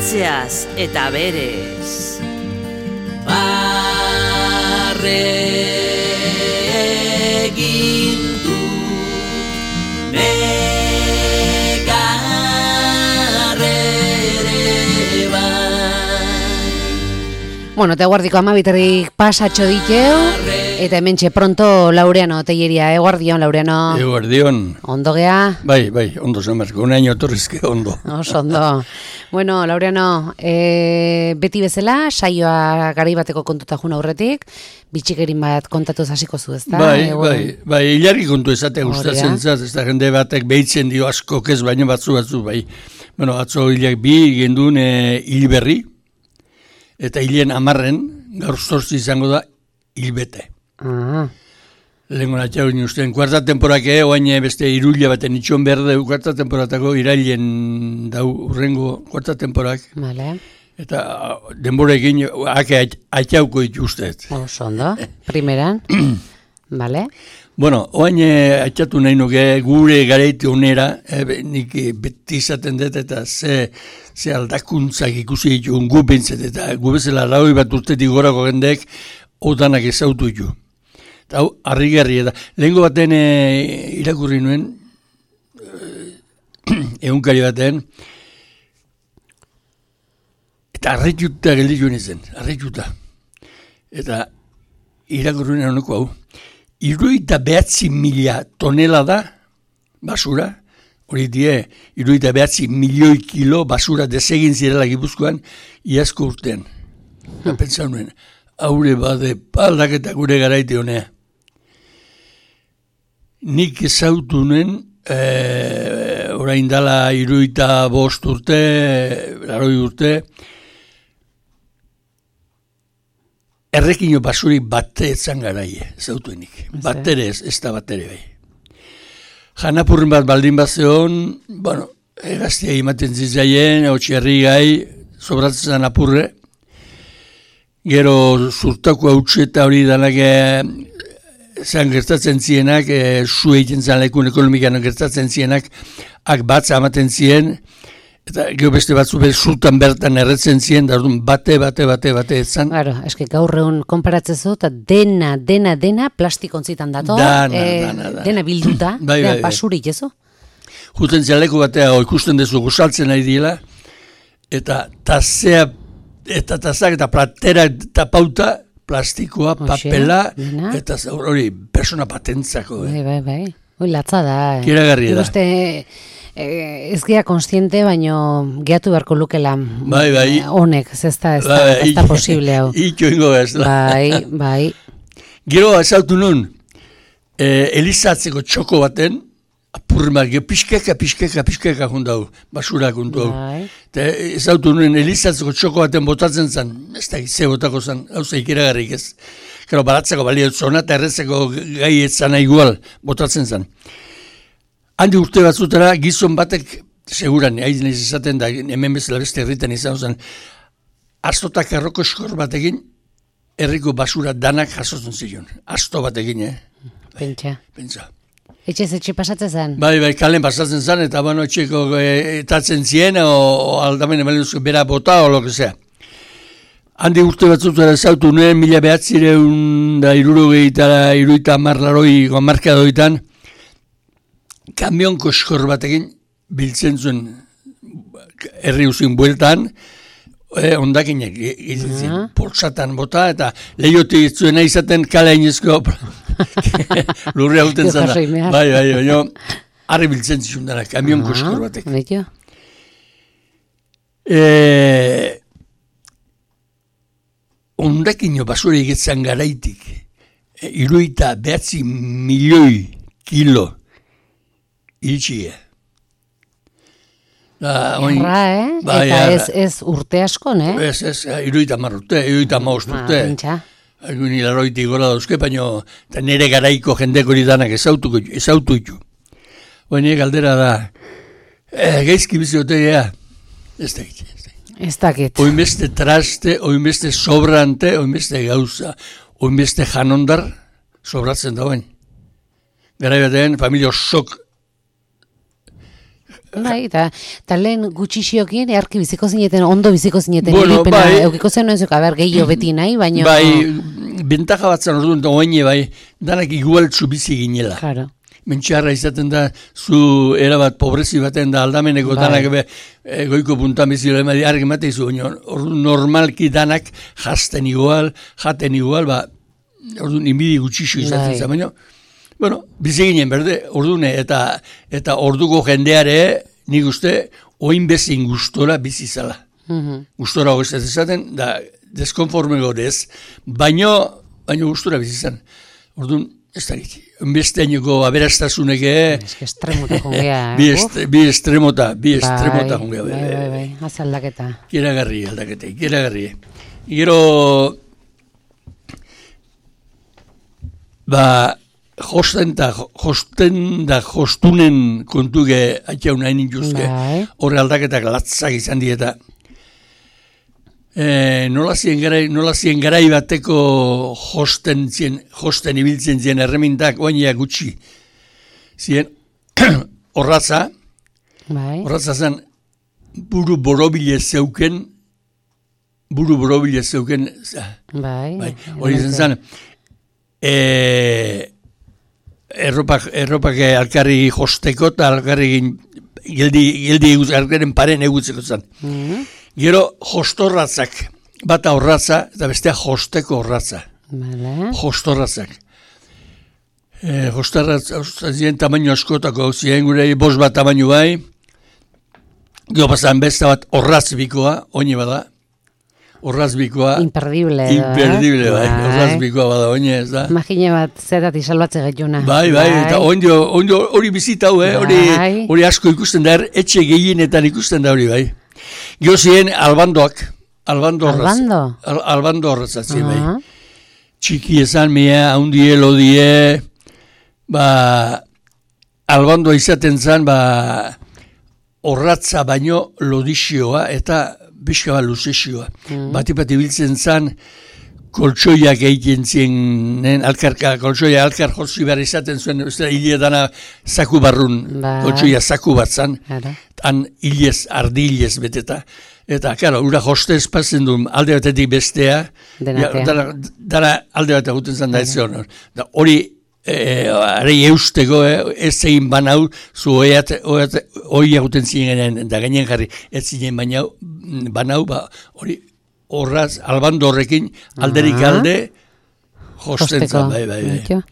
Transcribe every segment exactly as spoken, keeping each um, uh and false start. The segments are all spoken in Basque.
Atzeaz eta berez. Barre egin du negarrere bai. Bueno, eta guardiko amabiterrik pasatxo diteu. Eta hementxe pronto Laureano Telleria, eguardion, Laureano. Eguardion. Ondo gea? Bai, bai, ondo zamarko, un año torrizke ondo. Oso ondo. Bueno, Laureano, e, beti bezala, saioa garai bateko kontuta juna aurretik, bitxikerin bat kontatu hasiko zu, ezta? Bai, bai, bai, hilarri kontu ezatea gustatzen zaz, ez da jende batek behitzen dio asko kez, baina batzu batzu, bai. Bueno, atzo hilak bi gendun e, hil berri, eta hilen amarren, gaur zortzi izango da, hilbete. Ah. Lehenko natxau inuzten, kuarta temporake, oain beste irulia baten itxon behar dugu, kuarta temporatako irailen dau urrengo kuarta temporak. Vale. Eta denborekin ake atxauko ituztet. Oso ondo, primeran. Vale. Bueno, oain atxatu nahi nuke gure gareiti onera, e, nik beti izaten dut eta ze, ze aldakuntzak ikusi ditu gu bintzet, eta gu bezala laui bat urtetik gorako gendek odanak ezautu ditu. Eta hau, harrigarri eta lehenko baten e, irakurri nuen, egunkari baten, eta arretuta gelditu nintzen, arretuta. Eta irakurri nuen honeko hau, iruita behatzi mila tonela da basura, hori die, iruita behatzi milioi kilo basura desegin zirela Gipuzkoan, iazko urtean. Eta pentsa nuen, haure bade paldaketa gure garaite honea. Nik ezautu nuen, e, orain dala iruita bost urte, laroi urte, errekino basurik bate etzan garaie, ezautuenik. Batere ez, ez da batere bai. Janapurren bat baldin bat zeon, bueno, egaztia imaten zitzaien, otxerri gai, sobratzen apurre, gero zurtako hautsi eta hori danak zan gertatzen zienak, e, zu egiten zan lekun ekonomikan gertatzen zienak, ak batza amaten zien, eta gero beste batzu behar zurtan bertan erretzen zien, da bate, bate, bate, bate etzan. Claro, eski gaur egun konparatzezu, eta dena, dena, dena plastikontzitan dato, dana, e, dana, dana. dena bilduta, bai, dena bai, basurik, ezo? Juten zian leku batea, ikusten dezu gozaltzen nahi dila, eta tazea, eta tazak eta platera eta pauta, plastikoa, papela, Oxe, eta hori, persona patentzako. Bai, bai, bai. Hoi latza da. Eh. Kiragarria da. Iguste, eh, ez gea konstiente, baino geatu beharko lukela. Bai, bai. Honek, ez da, ez da, ez da posible hau. Ito ingo ez da. Bai, bai. Gero, ezautu nun, eh, elizatzeko txoko baten, apurrimak, pixkeka, pixkeka, pixkeka jundau, basura jundu hau. Bai. Eta ezautu nuen, elizatzeko txoko baten botatzen zen, ez da, ze botako zen, hau zeik iragarrik ez. Gero, baratzeko balio zona eta erretzeko gai etzana igual botatzen zen. Handi urte batzutara, gizon batek, seguran, haiz nahiz izaten da, hemen bezala beste herritan izan zen, astotak erroko eskor batekin, herriko basura danak jasotzen zion. Asto batekin, eh? Pentsa. Pentsa. Etxez etxe pasatzen zen? Bai, bai, kalen pasatzen zen, eta bueno, etxeko e, etatzen zien, o, o aldamen eman duzko bera bota, o lo que sea. Handi urte batzutara zautu nuen, mila behatzireun da irurogei eta iruita marlaroi gomarka doitan, kamionko eskor batekin biltzen zuen herri uzin bueltan, e, ondakinek egiten zen, uh-huh. Poltsatan bota, eta lehiotik zuena izaten kale hainezko lurre hauten zara. Bai, bai, baina harri biltzen zizun dara, kamionko uh-huh. eskor batek. Beito. E, ondakino basura egetzen garaitik, e, iruita behatzi milioi kilo iltxia. Erra, eh? Bai, eta arra. ez, ez urte askon, eh? Ez, ez, iruita mar urte, iruita maost urte. Pentsa. Algun hilaroitik gora dauzke, baina nire garaiko jendeko hori danak ezautu ditu. Baina galdera da, eh, gaizki biziote gea, ez da egite. Ez dakit. Oinbeste traste, oinbeste sobrante, oinbeste gauza, oinbeste janondar, sobratzen dauen. Garai batean, familia sok Bai, eta ta lehen gutxixiokin earki biziko zineten, ondo biziko zineten, Bueno, iripena, bai. eukiko zen noizuk, aber, gehiago beti nahi, baina... Bai, bentaja bat zan orduan, oaine bai, danak igualtzu bizi ginela. Claro. Mentxarra izaten da, zu erabat pobrezi baten da aldameneko Bai. danak be, e, goiko puntan bizi lemadi, argi mate izu, baina orduan normalki danak jazten igual, jaten igual, ba, orduan inbidi gutxixo izaten Bai. zen, baina, bueno, bizi ginen, berde, ordune, eta eta orduko jendeare, nik uste, oin bezin gustora bizi zala. Mhm. Gustora hori ez esaten, da, deskonforme gorez, baino, baino gustora bizi zen. Orduan, ez da giti. Besteainoko aberastazunek, Ez que estremota jongea, eh? bi, Uf. est, bi estremota, bi Bai, estremota jongea. Bai, bai, bai, az aldaketa. Kiragarri aldakete, kiragarri. Gero, ba, josten da, josten da, jostunen kontuge atxaun hain intuzke, Bai. horre aldaketak latzak izan dieta. E, nola zien garai, nola zien garai bateko josten zien, josten ibiltzen zien erremintak, oainia gutxi. Zien, horratza, Bai, horratza zen, buru borobile zeuken, buru borobile zeuken, za, bai. bai, hori zen zen, e, erropak, erropak alkarri josteko eta alkarri geldi, geldi eguz, alkarren paren egutzeko zen. Mhm. Gero jostorratzak, bata horratza eta bestea josteko horratza. Vale. Jostorratzak. E, jostorratzak ziren tamaino askotako, ziren gure bost bat tamaino bai, gero pasan beste bat horratz bikoa, oine bada, horratz bikoa, Imperdible. edo, eh? imperdible bai, horratz bikoa bada, oine ez da. Imagine bat zerati salbatze gaituna. Bai, bai, eta ondio, ondio hori bizita hau, eh? hori, Bai. hori asko ikusten da, er, etxe gehienetan ikusten da hori, bai. Gio ziren albandoak, albando horratz. Albando? Al, albando horratzatzen, bai. Aha. Txiki esan, mea, haundie, lodie, ba, albandoa izaten zen, ba, horratza baino lodixioa eta bizka bat luzexioa. Mm. Bati-bati biltzen zen, koltsoiak egiten zienen, alkarka, koltsoia alkar jotzi behar izaten zuen, ez da, hile dana zaku barrun, Bai. koltsoia zaku bat zan, Claro. han hilez, ardi hilez beteta. Eta, karo, ura jostez pasen du alde batetik bestea, Denatea. dara, dara alde bat eguten zen da ez zion. Da, hori, e, arei eusteko, eh, ez egin banau, zu oiat, oiat, oi eguten ziren, da gainen jarri, ez ziren bainau, banau, ba, hori, horraz, albando horrekin, alderik Ah. alde, josten Josteko. zen, bai, bai, bai. Baitio.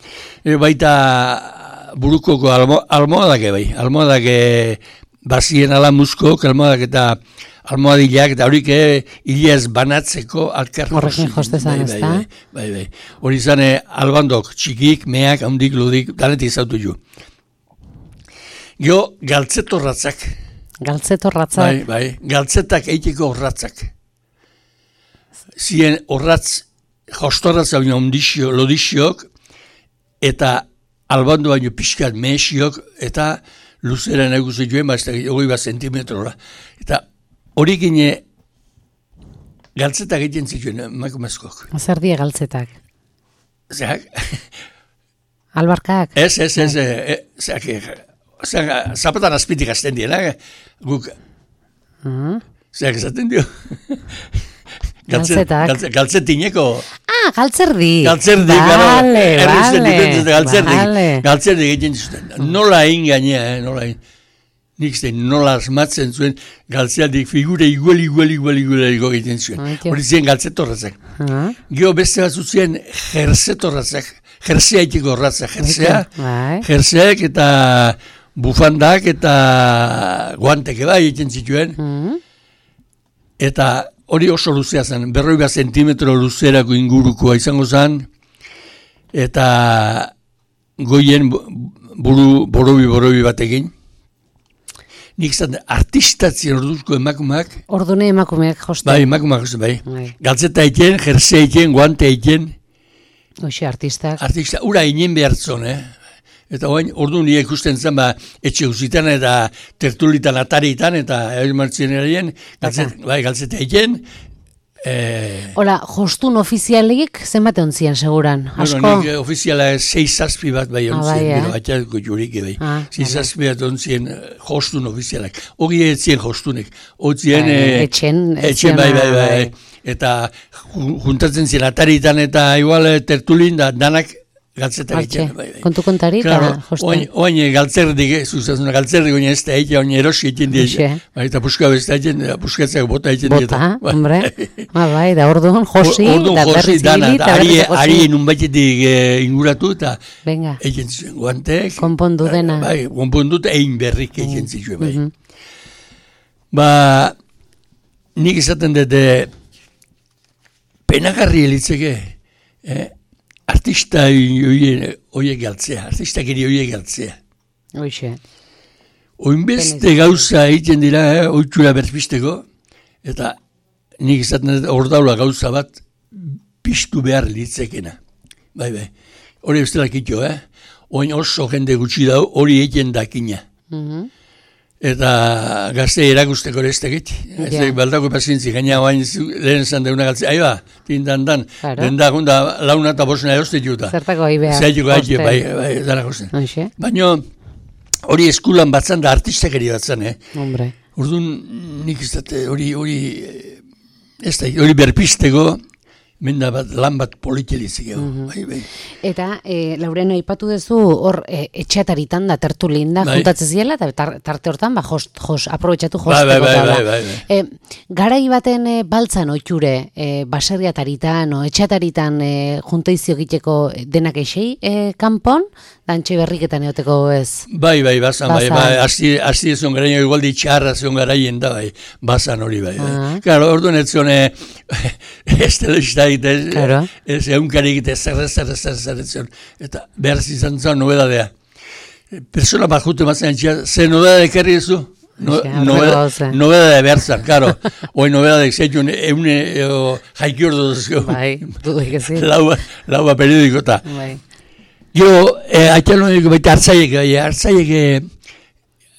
E, baita burukoko almo, almohadake bai, almohadake bazien ala muskok, almohadak eta almohadilak, eta horik hilez banatzeko alkar Horrekin josi. jostezan, bai, ezta? bai, bai, bai. Hori izan eh, albandok, txikik, meak, handik, ludik, danetik zautu ju. Gio, galtzetorratzak, Galtzetorratza. bai, bai, galtzetak eiteko horratzak. Zien horratz, jostorratza baino ondixio, lodixiok, eta albando baino pixkat mehesiok, eta luzera nahi zituen, ba, ez da, hogei bat zentimetrora. Eta hori gine, galtzetak egiten zituen, emakumezkok. Zer die galtzetak? Zeak, Albarkak? ez, ez, ez, e, zeak, zeak, zapatan azpitik azten dira, guk, Mhm. zeak esaten dio. Galtzetak. Galtze, galtzetineko, Ah, galtzerdi. galtzerdi, Vale, errezten vale. duten galtzerdi, Vale. galtzerdi egiten zuten. Nola egin gainea, eh, nola egin. Nik zein nola asmatzen zuen galtzealdik figure igual, igual, igual, igual egiten zuen. Aitio. Hori ziren galtzetorratzak. Ah, Geo beste batzu ziren jerzetorratzak, jerzea itiko horratzak, jerzea, Bai. jerzeak eta bufandak eta guanteke bai egiten zituen. Mhm. Eta hori oso luzea zen, berroi bat zentimetro luzerako ingurukoa izango zen, eta goien bu- buru borobi-borobi batekin. Nik zan, artistatzen orduzko emakumak, Ordune emakumeak joste. bai, emakumak, josten, bai. Bai. Galtzeta egiten, jersea egiten, guante egiten, Hoxe artistak. artista, ura inen behartzon, eh? Eta oain, ordu nire ikusten zen, ba, etxe guzitan eta tertulitan ataritan, eta eusmartzen erien, galtzet, bai, galtzeta egiten, Eh, Hola, jostun ofizialik zenbat ontzien seguran? Asko? Bueno, nik ofiziala sei zazpi bat bai Ah, ontzien, bai, eh? gero atxatuko jurik bai. Ah, sei vale. zazpi bat ontzien eh, jostun ofizialak. Hori etzien jostunek. Otzien... Bai, eh, etxen, etxen, bai, bai, bai, bai. Eta ju- juntatzen ziren ataritan eta igual eh, tertulin da danak galtzetak Hortxe, egiten. Bai, bai. kontu kontari eta Claro, josten. oain, oain galtzerdik, eh, zuzazuna galtzerdik oin ez da egin, oin erosi egin Hoxe. dira. Bai, eta puska besta egin, puskatzak bota egin dira. Bota, hombre. Ah, bai, da orduan josi, Orduan da josi, berriz dana, ibili, da, eta ari, berriz josi. ari nunbaitetik eh, inguratu eta Venga, egin zuen guantek. konpondu dena. Bai, konpondu eta egin berrik egin zuen, bai. Mhm. Ba, nik izaten dut, eh, penagarri elitzeke, eh? Artista horiek galtzea, artistak eri horiek galtzea. Hoxe. Oinbeste Penez- gauza egiten dira, eh, oitxura berpisteko, eta nik izaten dut ordaula gauza bat piztu behar litzekena. Bai, bai. Hori bestelak ito, eh? Oin oso jende gutxi dau, hori egiten dakina. Mhm. Eta gazte erakusteko ez tekit. Ez Ja. tekit baldako pazientzi, gaina oain zu- lehen esan deuna galtzea. Aiba, tindan dan, Claro. denda gunda launa eta bosna eroste juta. Zertako ahi behar. Zaituko haitio, josten. bai, bai, dara gozen. Hoxe, Baina hori eskulan batzan da artistakeri batzan, eh? hombre. Orduan nik ez dut hori, hori, eh, ez da, hori berpisteko, menda bat, lan bat politilizik ego, Mhm. bai, bai. Eta, e, Laureno, aipatu duzu hor e, etxeataritan da, tertulin da, Bai. juntatzen ziela, eta tar, tarte hortan, ba, jos, jos, aprobetxatu Bai, josteko. bai, bai, eta hola. bai, bai, bai. E, garai baten e, baltzan oitxure, e, baserriataritan, o etxeataritan e, juntaizio egiteko denak eixei e, kanpon, dantxe berriketan eoteko ez. Bai, bai, bazan, bai, Bazan. bai, hasi, hasi ezon garaino igual ditxarra zion garaien da, bai, bazan hori, bai, bai. Ah. Claro, orduan ez zion, eh, ez telebista egite, Claro. ez eunkari egite, zer, zer, zer, zer, ez zion, eta behar izan zen nobedadea. Persona bat jute mazen antxia, ze nobedade ekarri ezu? No, Hoxe, aurreko nobeda, gauza. nobedade behar zen, claro. Hoi nobedade zeitzun, eune, eo, jaikiordo duzko. Bai, dudik ezin. Laua, laua periodikota. Bai. Gero, eh, atxalonik baita hartzaiek, bai, hartzaiek eh,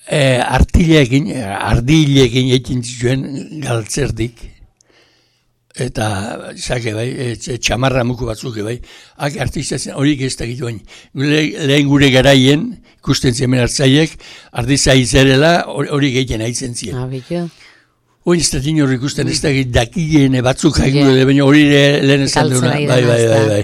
eh, artileekin, eh, ardileekin egin zituen galtzerdik. Eta, zake, bai, eh, txamarra muku batzuk, bai, hak artista zen, horiek ez dakit bain. Le, lehen gure garaien, ikusten zemen hartzaiek, ardiza izerela, horiek egiten haitzen ziren. Ah, bitu. Oin ez da dinor ikusten, ez dakit dakien batzuk Ja. jaiko dut, baina hori le- lehen esan Galtzen duna. ari Bai, dena, bai, ez bai, da. bai.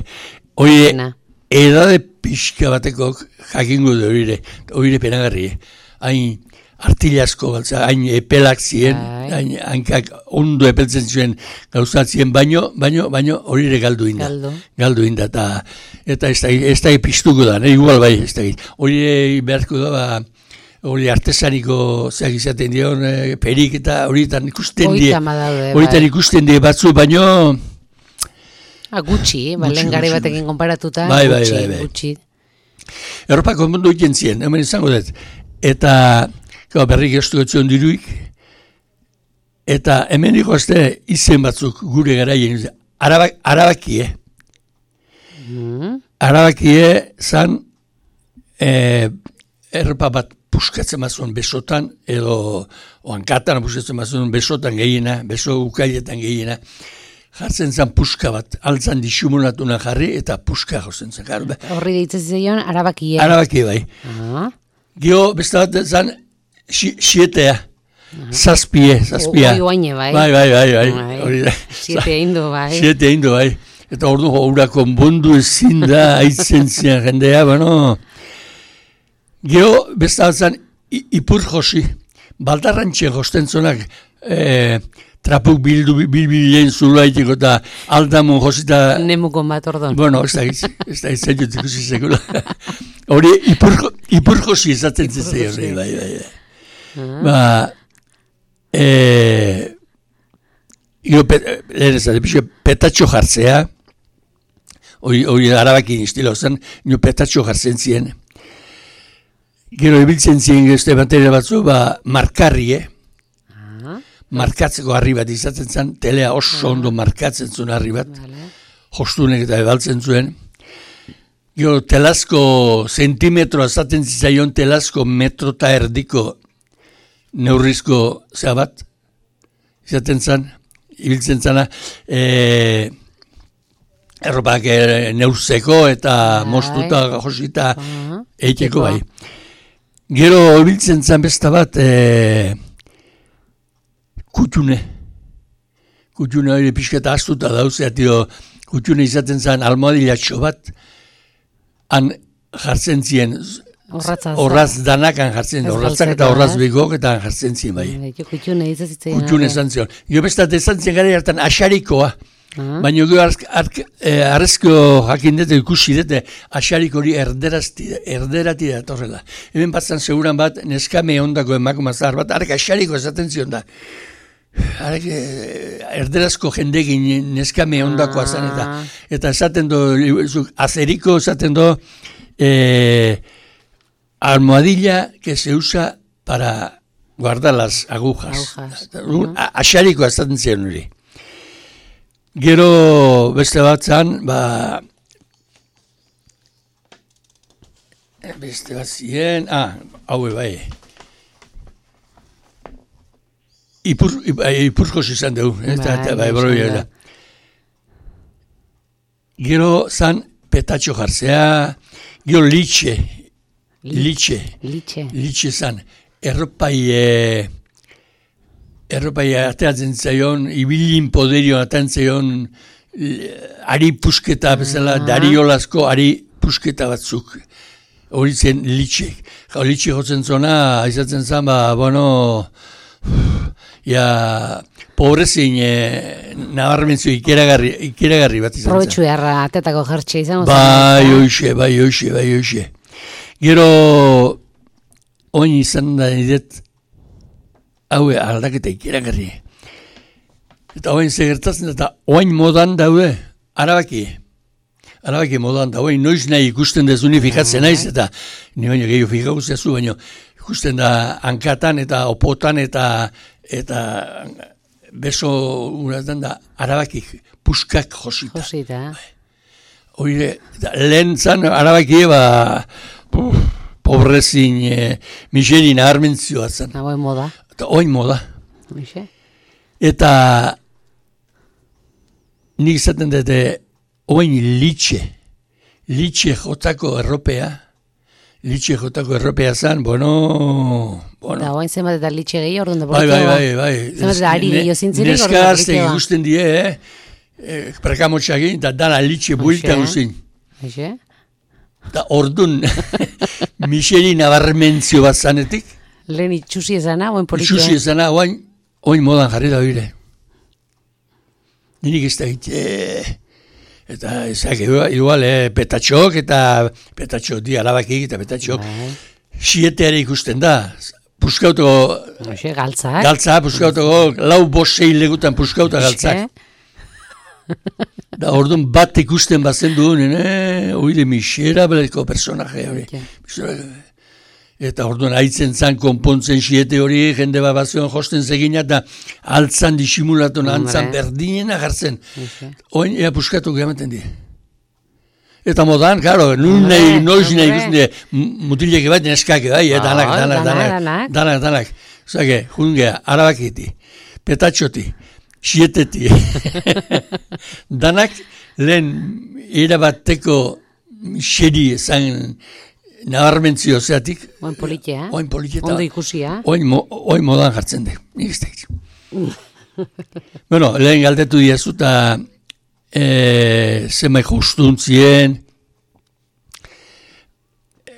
Hori Dena. edade pixka batekok jakingo du hori hori penagarri. eh. Hain artilasko baltza, hain epelak ziren, Bai. hain hankak ondo epeltzen zuen gauzatzien, baino, baino, baino hori ere galdu inda. Galdu. Galdu inda, eta, eta ez da, ez da piztuko da, ne? Igual bai, ez da. Hori beharko da, ba, hori artesaniko zeak izaten dion, eh, perik eta horietan ikusten die. Hogeita hamar daude, Horietan bai. ikusten die batzu, baino, Ah, gutxi, ba, Gutxi, lehen garai gutxi, batekin konparatuta, Bai, bai, gutxi, bai, bai. gutxi. Europako mundu egiten ziren, hemen izango dut. Eta, gau, berrik estu etzion diruik, eta hemen ikoazte izen batzuk gure garaien, arabak, arabakie, Mm. arabakie zan, eh, erropa bat puskatzen bazuen besotan, edo oankatan puskatzen bazuen besotan gehiena, beso ukailetan gehiena, jartzen zen puska bat, altzan disumunatuna jarri, eta puska jozen zen. Claro, be- Horri deitzen zion, arabakie. Arabakie bai. Ah. Gio, beste bat zan, xi- xietea, zazpie, zazpia. Oi, oaine, bai. Bai, bai, bai, bai. Bai. Hori da. Siete indu, bai. Siete indu, bai. Eta ordu hura konbondu ezin da, aitzen zian jendea, bueno. Gio, beste bat zan, i- ipur josi, baldarrantxe josten zonak, eh, trapuk bildu bilbilen zulaitiko eta aldamun josita. Nemukon bat ordon. Bueno, ez da giz, ez da giz, zaitut ikusi sekula. Hori, ipur, ipur josi ezaten zitzei hori, bai, bai, bai. Ah. Ba, eh, io, pet, lehen ez da, pixo, petatxo jartzea, hori, hori arabakin estilo zen, nio petatxo jartzen zien. Gero ibiltzen zien geste bateria batzu, ba, markarrie, Ah, markatzeko harri bat izaten zen, telea oso ondo markatzen zuen harri bat, vale. jostunek eta ebaltzen zuen. Gero telazko zentimetro azaten zitzaion telazko metro eta erdiko neurrizko zea bat, izaten zen, ibiltzen zana, e, erropak e, neurzeko eta mostuta josita uh-huh. eiteko bai. Gero ibiltzen zan besta bat, e, kutxune. Kutxune hori pixketa astuta dauzea, tio, kutxune izaten zan almohadilatxo bat, han jartzen zien, horraz danakan jartzen, horrazak eta horraz bigok eta jartzen zien bai. Kutxune izazitzen. Kutxune izan zion. Gio bestat izan zien gara hartan asarikoa, baina gio arrezko jakin dute ikusi dute asarik hori erderati da torrela. Hemen batzan seguran bat neskame ondako emakume zahar bat, arek asariko esaten zion da. Arek erderazko jendegin neskame ondakoa zen eta eta esaten do, azeriko esaten do, eh, almohadilla que se usa para guardar las agujas. agujas. Uh-huh. Asariko esaten zion hori. Gero beste bat zan, ba, beste bat ziren, ah, haue bai, Ipur, ipurkos izan dugu, eta, eta bai, broi da. Gero zan petatxo jartzea, gero litxe, litxe, litxe, litxe zan, erropai, erropai ateatzen zaion, ibilin poderio ateatzen zaion, ari pusketa bezala, ah. Dariolazko ari pusketa batzuk, hori zen litxe. Gau litxe jotzen zona, izatzen zan, ba, bueno, ja, pobrezin eh, nabarmentzio ikeragarri, ikeragarri bat izan zen. Probetxu beharra atetako jertxe izan. Bai, oixe, bai, oixe, bai, oixe. Gero, oin izan da nidet, haue aldaketa ikeragarri. Eta oin zegertatzen, eta oin modan daude, arabaki. Arabaki modan da, oin noiz nahi ikusten dezuni fikatzen naiz, eta ni baino gehiago fikaguzia zu, baino ikusten da hankatan eta opotan eta eta beso uratan da arabakik puskak josita. Josita. Oire, lehen zan arabaki eba pobrezin e, miserin aharmentzioa zan. Oin moda. Eta oin moda. Mixe. Eta nik izaten dute oin litxe. Litxe jotako erropea. Litxe jotako erropea zan, bueno... bueno. Da, oain zenbat eta litxe gehi, orduan da bai, bai, bai, bai. Zenbat eta ari gehi ozintzirik, orduan da borrikeba. Neskazte ikusten die, eh? E, Prekamotxagin, eta dana litxe buelta guzin. Eixe? Da orduan, miseri nabarmentzio bat zanetik. Lehen itxusi ezana, oain politia. Itxusi ezana, oain, oain modan jarri da bire. Nirik ez da egite... Eta ezak, igual, eh, petatxok eta petatxok di alabakik eta petatxok sieteare ikusten da. Puskautoko... Oxe, galtzak. Galtza, puskautoko, lau bosei legutan puskauta galtzak. Da orduan bat ikusten bazen duen, eh, oide misera beleko personaje hori. Eta orduan haitzen zan konpontzen siete hori, jende bat bazion josten zegina, eta altzan disimulatu antzan berdinena jartzen. Oin, ea puskatu gehamaten di. Eta modan, karo, nun nahi, noiz nahi ikusten di, mutileke bat neskake bai, eta danak, danak, danak, danak, danak. Zage, jungea, arabakiti, petatxoti, sieteti. Danak, lehen, erabateko xeri zan, nabarmentzio zeatik. Oin politia. Oin politia. Ondo ikusia. Oin, mo, oin modan jartzen de. Nik ez da. Bueno, lehen galdetu diazu eta e, zemai justuntzien,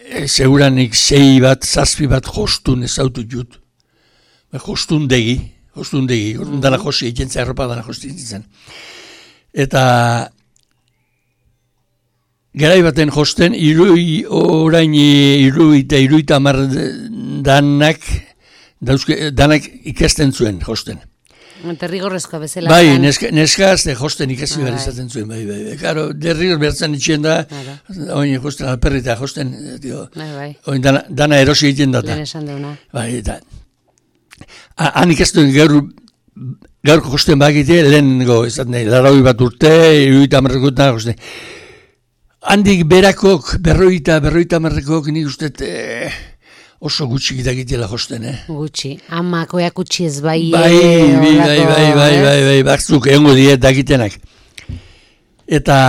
e, seguranik sei bat, zazpi bat jostun ezautu jut. Jostun degi, jostun degi. Mm-hmm. Dana josi egiten zen, erropa dana josi egiten zen. Eta... Garai baten josten, irui, orain irui eta irui eta mar danak, dauzke, danak ikasten zuen josten. Derrigorrezkoa bezala. Bai, neska, neskazte josten ikasi behar izaten zuen, bai, bai, bai. Karo, derrigor bertzen itxien da, oin josten alperrita josten, dio, bai, oin dana, dana erosi egiten data. Lehen esan deuna. Bai, eta, han ikastuen gaur, gaurko josten bakite, lehen go, ez da, laroi bat urte, irui eta marrekotan josten. Handik berakok, berroita, berroita marrekok, nik uste, eh, oso gutxi dakitela josten, eh? Gutxi. Amak oiak utzi ez bai. Bai, bai, bai, bai, bai, bai, bai, batzuk egongo diet dakitenak. Eta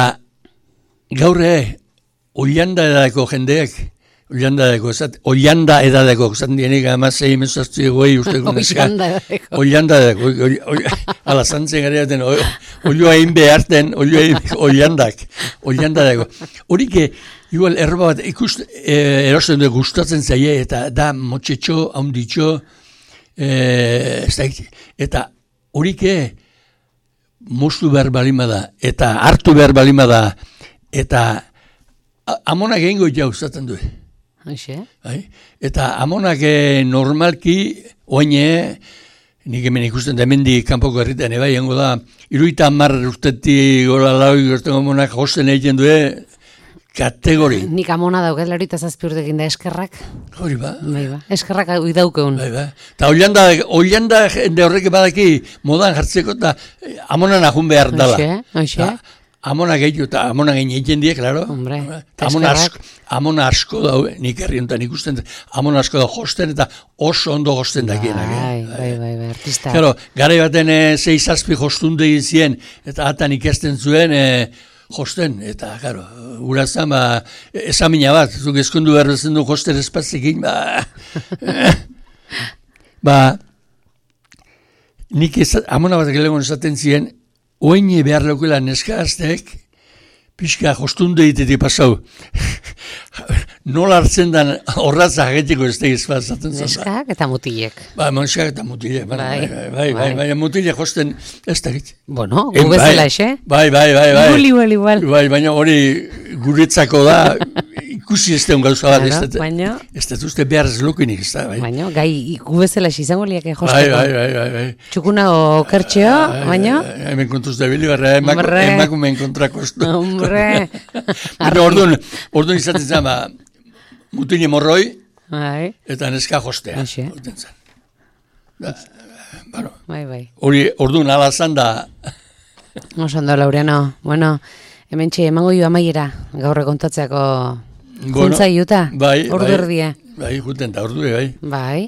gaur ere, oianda edadeko jendeak, oianda edadeko, oianda edadeko, zaten dienik amazei emezaztu egoi usteko neska. Oianda edadeko. Oianda edadeko, ala zantzen gara jaten, oioa egin beharten, oiandak, oianda edadeko. Horik, igual erba bat ikust, eh, erosten du gustatzen zaie, eta da motxetxo, haunditxo, eh, ez da, eta horik, moztu behar balima da, eta hartu behar balima da, eta amonak egingo jau zaten du. Aixe? Bai? Eta amonak eh, normalki, oine, nik hemen ikusten da hemendi kanpoko herritan, eba, egingo da, iruita hamar urtetik gola lau gertengo amonak josten egiten du, kategori. Nik amona dauket, laurita zazpi urtekin da eskerrak. Hori ba. Bai ba, eskerrak hui daukeun. Bai ba. Eta oianda, oianda jende horrek badaki modan jartzeko, eta amonan ahun behar dala. Aixe, aixe. Amona gehiago, eta amona gehiago egiten die, klaro. Hombre, amona asko, amona asko da, nik herri honetan ikusten, amona asko da josten, eta oso ondo josten dakienak. Bai, bai, bai, bai, artista. Claro, garai baten e, zei zazpi jostunde zien, eta atan ikasten zuen, e, josten, eta, claro, urazan, ba, esamina bat, zuk eskundu behar bezen du josten espaziekin, ba, ba, nik ez, amona bat gelegon esaten zien, oine behar leukela neska azteek, pixka jostunde ditetik pasau. Nola hartzen den horratza jagetiko ez tegiz pasatzen zan. Neskak eta mutilek. Ba, neskak eta mutilek. Bai, bai, bai, bai, bai, bai, mutilek josten ez tegit. Bueno, gu bezala ese? Bai, bai, bai, bai. Igual, igual, igual. Bai, baina hori guretzako da, ikusi ez teun gauza bat, ez dut. Baina. Ez dut uste behar ez lukinik, ez da, bai. Baina, gai, gu bezala izango liak josteko. Bai, bai, bai, bai, bai. Txukuna o kertxeo, baina? Hemen kontuz da bili, barra, emakumen kontrako ez du. Hombre. Orduan, orduan izaten zen, ba, mutile morroi, bai. Eta neska jostea. Aixe. Ba, bueno, bai, bai. Hori, orduan alazan da. Osondo, Laureano. Bueno, hemen txe, emango jo amaiera, gaurre kontatzeako juntza iuta. Bai, ordu bai. erdia. Bai, juten da, ordu bai. Bai.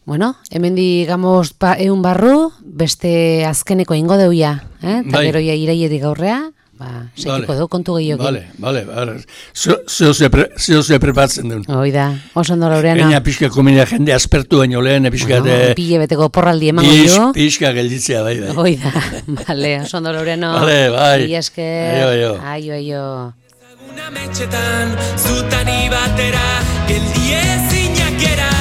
Bueno, hemen digamos pa, eun barru, beste azkeneko ingo deuia. Eh? Bai. Takeroia iraietik gaurrea. Ba, sekiko Vale. du, kontu gehiokin. Vale, vale, vale. Zeo ze pre, prepatzen duen. Hoi da, oso ondo Laureano. Gaina pixka komenia jende aspertu baino lehen, pixka Bueno, de... pile beteko porraldi emango Pix, jo. pixka gelditzea, bai, bai. Hoi da, vale, oso ondo Laureano. Vale, bai. Mila esker. Aio, aio. Aio, aio. Zaguna metxetan, zutani batera, geldi ezinak gera.